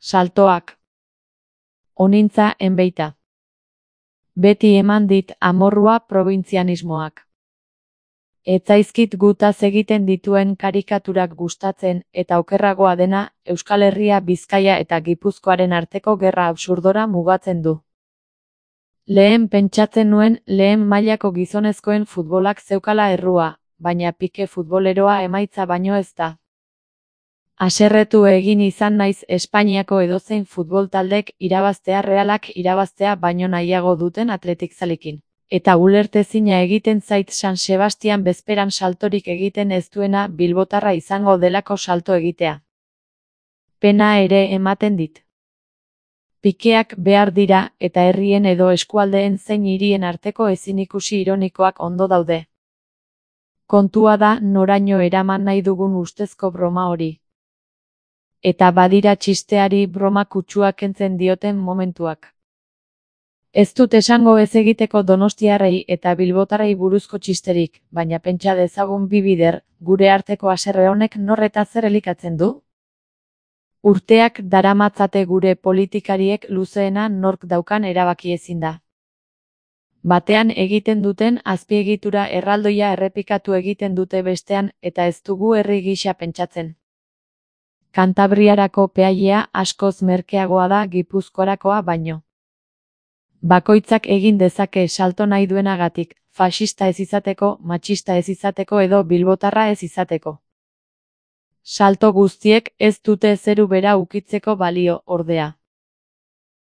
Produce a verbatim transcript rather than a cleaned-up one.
Saltoak. Onintza enbeita. Beti eman dit amorrua probintzianismoak. Etzaizkit gutaz egiten dituen karikaturak gustatzen eta okerragoa dena Euskal Herria, Bizkaia eta Gipuzkoaren arteko gerra absurdora mugatzen du. Lehen pentsatzen nuen lehen mailako gizonezkoen futbolak zeukala errua, baina Pike futboleroa emaitza baino ez da. Haserretu egin izan naiz Espainiako edozein futbol taldek irabaztea Realak irabaztea baino nahiago duten atletikzalekin. Eta ulertezina egiten zait San Sebastian bezperan saltorik egiten ez duena bilbotarra izango delako salto egitea. Pena ere ematen dit. Pikeak behar dira eta herrien edo eskualdeen zein hirien arteko ezinikusi ironikoak ondo daude. Kontua da noraino eraman nahi dugun ustezko broma hori. Eta badira txisteari broma kutsua kentzen dioten momentuak. Ez dut esango ez egiteko donostiarrei eta bilbotarrei buruzko txisterik, baina pentsa dezagun bi bider, gure arteko haserre honek nor eta zer elikatzen du? Urteak daramatzate gure politikariek luzeena nork daukan erabaki ezin da. Batean egiten duten azpiegitura erraldoia errepikatu egiten dute bestean eta ez dugu herri gisa pentsatzen. Kantabriarako peailea askoz merkeagoa da Gipuzkoarakoa baino. Bakoitzak egin dezake salto nahi duenagatik, faxista ez izateko, matxista ez izateko edo bilbotarra ez izateko. Salto guztiek ez dute zeru bera ukitzeko balio, ordea.